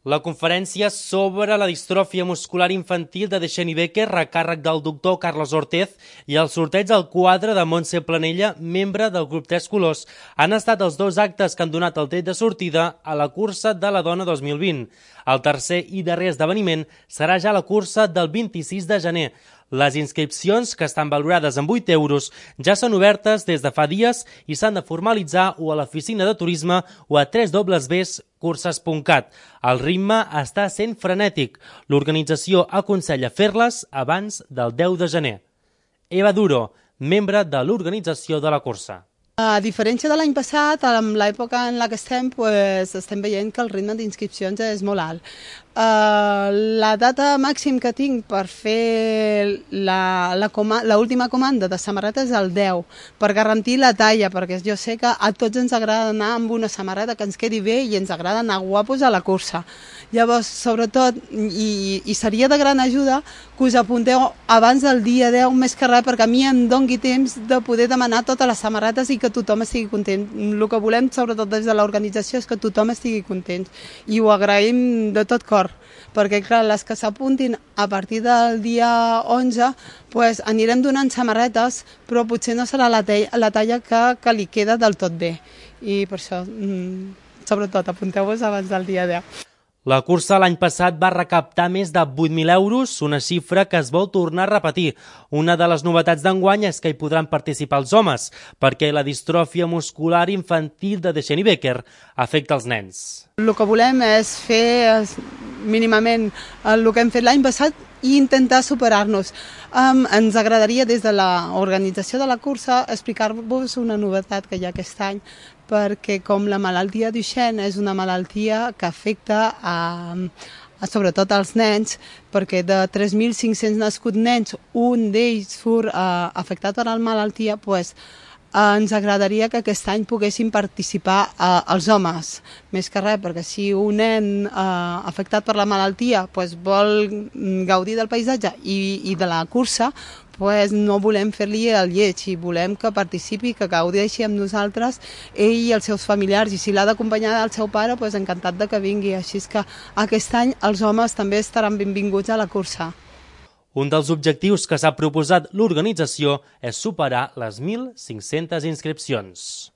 La conferència sobre la distròfia muscular infantil de Deixeni Becker, a càrrec del doctor Carlos Ortez, i el sorteig al quadre de Montse Planella, membre del grup Tres Colors, han estat els dos actes que han donat el tret de sortida a la cursa de la dona 2020. El tercer i darrer esdeveniment serà ja la cursa del 26 de gener. Les inscripcions, que estan valorades en 8 euros, ja són obertes des de fa dies i s'han de formalitzar o a l'oficina de turisme o a www.curses.cat. El ritme està sent frenètic. L'organització aconsella fer-les abans del 10 de gener. Eva Duro, membre de l'organització de la cursa. A diferència de l'any passat, en l'època en la que estem, estem veient que el ritme d'inscripcions és molt alt. La data màxim que tinc per fer l'última comanda de samarreta és el 10, per garantir la talla, perquè jo sé que a tots ens agrada anar amb una samarreta que ens quedi bé i ens agrada anar guapos a la cursa. Llavors, sobretot, i seria de gran ajuda que us apunteu abans del dia 10, més que res, perquè a mi em doni temps de poder demanar totes les samarretes i que tothom estigui content. El que volem, sobretot des de l'organització, és que tothom estigui content. I ho agraïm de tot cor, perquè clar, les que s'apuntin a partir del dia 11 anirem donant samarretes, però potser no serà la talla que li queda del tot bé. I per això, sobretot, apunteu-vos abans del dia 10. La cursa l'any passat va recaptar més de 8.000 euros, una xifra que es vol tornar a repetir. Una de les novetats d'enguany és que hi podran participar els homes, perquè la distròfia muscular infantil de Deixeni Becker afecta els nens. El que volem és fer mínimament el que hem fet l'any passat i intentar superar-nos. Ens agradaria des de l'organització de la cursa explicar-vos una novetat que hi ha aquest any, perquè com la malaltia Duchenne és una malaltia que afecta sobretot als nens, perquè de 3.500 nascuts nens, un d'ells surt afectat per la malaltia, ens agradaria que aquest any poguessin participar els homes, més que res, perquè si un nen afectat per la malaltia vol gaudir del paisatge i de la cursa, no volem fer-li el lleig i volem que participi, que gaudeixi amb nosaltres ell i els seus familiars, i si l'ha d'acompanyar el seu pare, encantat de que vingui. Així que aquest any els homes també estaran benvinguts a la cursa. Un dels objectius que s'ha proposat l'organització és superar les 1.500 inscripcions.